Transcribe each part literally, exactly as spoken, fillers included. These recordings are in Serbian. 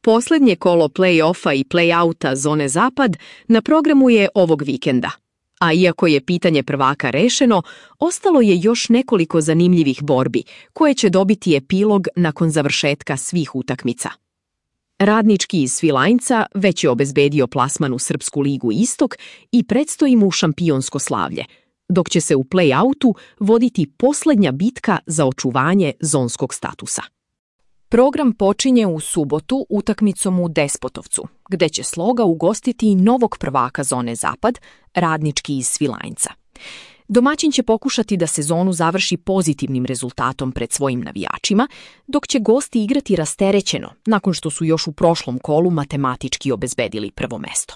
Poslednje kolo play-offa i play-outa zone Zapad na programu je ovog vikenda. A iako je pitanje prvaka rešeno, ostalo je još nekoliko zanimljivih borbi koje će dobiti epilog nakon završetka svih utakmica. Radnički iz Svilajnca već je obezbedio plasman u Srpsku ligu Istok i predstoji mu šampionsko slavlje, dok će se u play-outu voditi poslednja bitka za očuvanje zonskog statusa. Program počinje u subotu utakmicom u Despotovcu, gde će Sloga ugostiti novog prvaka zone Zapad, Radnički iz Svilajnca. Domaćin će pokušati da sezonu završi pozitivnim rezultatom pred svojim navijačima, dok će gosti igrati rasterećeno, nakon što su još u prošlom kolu matematički obezbedili prvo mesto.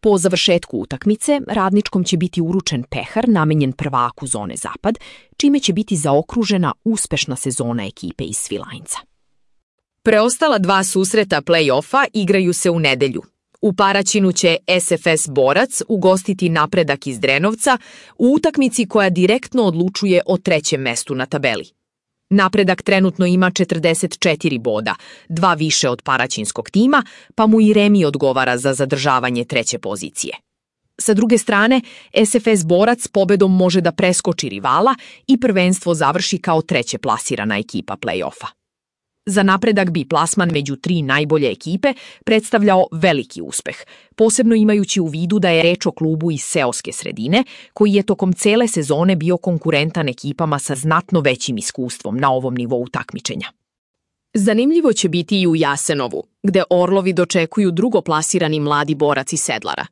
Po završetku utakmice, Radničkom će biti uručen pehar namenjen prvaku zone Zapad, čime će biti zaokružena uspešna sezona ekipe iz Svilajnca. Preostala dva susreta play-offa igraju se u nedelju. U Paraćinu će S F S Borac ugostiti Napredak iz Drenovca u utakmici koja direktno odlučuje o trećem mestu na tabeli. Napredak trenutno ima četrdeset četiri boda, dva više od paraćinskog tima, pa mu i remi odgovara za zadržavanje treće pozicije. Sa druge strane, S F S Borac pobedom može da preskoči rivala i prvenstvo završi kao treće plasirana ekipa play-offa. Za Napredak bi plasman među tri najbolje ekipe predstavljao veliki uspeh, posebno imajući u vidu da je reč o klubu iz seoske sredine, koji je tokom cele sezone bio konkurentan ekipama sa znatno većim iskustvom na ovom nivou takmičenja. Zanimljivo će biti i u Jasenovu, gde Orlovi dočekuju drugoplasirani Mladi Borac iz Sedlara.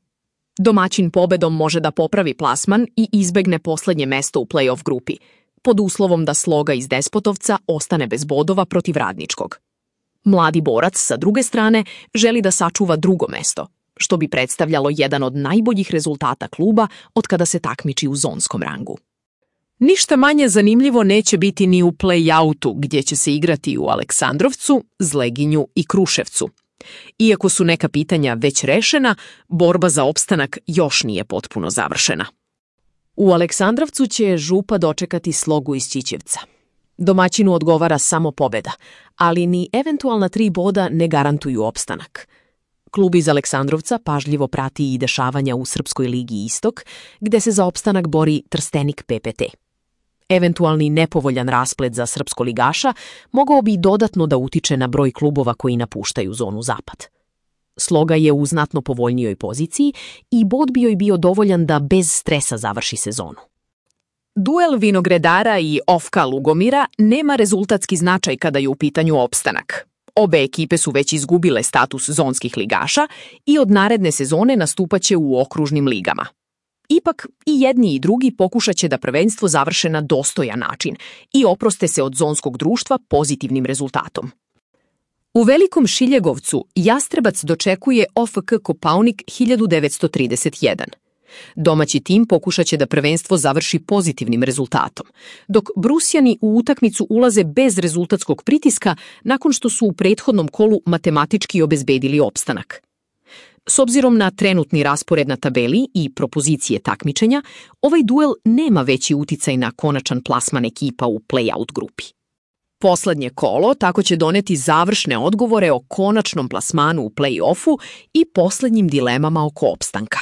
Domaćin pobedom može da popravi plasman i izbegne poslednje mesto u play-off grupi, pod uslovom da Sloga iz Despotovca ostane bez bodova protiv Radničkog. Mladi Borac, sa druge strane, želi da sačuva drugo mesto, što bi predstavljalo jedan od najboljih rezultata kluba od kada se takmiči u zonskom rangu. Ništa manje zanimljivo neće biti ni u play-outu, gdje će se igrati u Aleksandrovcu, Zleginju i Kruševcu. Iako su neka pitanja već rešena, borba za opstanak još nije potpuno završena. U Aleksandrovcu će Župa dočekati Slogu iz Ćićevca. Domaćinu odgovara samo pobeda, ali ni eventualna tri boda ne garantuju opstanak. Klub iz Aleksandrovca pažljivo prati i dešavanja u Srpskoj ligi Istok, gde se za opstanak bori Trstenik P P T. Eventualni nepovoljan rasplet za srpskoligaša mogao bi dodatno da utiče na broj klubova koji napuštaju zonu Zapad. Sloga je u znatno povoljnijoj poziciji i bod bi joj bio dovoljan da bez stresa završi sezonu. Duel Vinogredara i Ofka Lugomira nema rezultatski značaj kada je u pitanju opstanak. Obe ekipe su već izgubile status zonskih ligaša i od naredne sezone nastupaće u okružnim ligama. Ipak i jedni i drugi pokušat će da prvenstvo završe na dostojan način i oproste se od zonskog društva pozitivnim rezultatom. U Velikom Šiljegovcu Jastrebac dočekuje O F K Kopaonik hiljadu devetsto trideset jedan. Domaći tim pokušat će da prvenstvo završi pozitivnim rezultatom, dok Brusjani u utakmicu ulaze bez rezultatskog pritiska nakon što su u prethodnom kolu matematički obezbedili opstanak. S obzirom na trenutni raspored na tabeli i propozicije takmičenja, ovaj duel nema veći uticaj na konačan plasman ekipa u play-out grupi. Poslednje kolo tako će doneti završne odgovore o konačnom plasmanu u play-offu i poslednjim dilemama oko opstanka.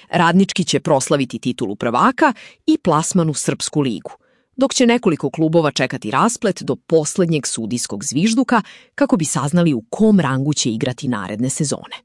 Radnički će proslaviti titulu prvaka i plasman u Srpsku ligu, dok će nekoliko klubova čekati rasplet do poslednjeg sudijskog zvižduka kako bi saznali u kom rangu će igrati naredne sezone.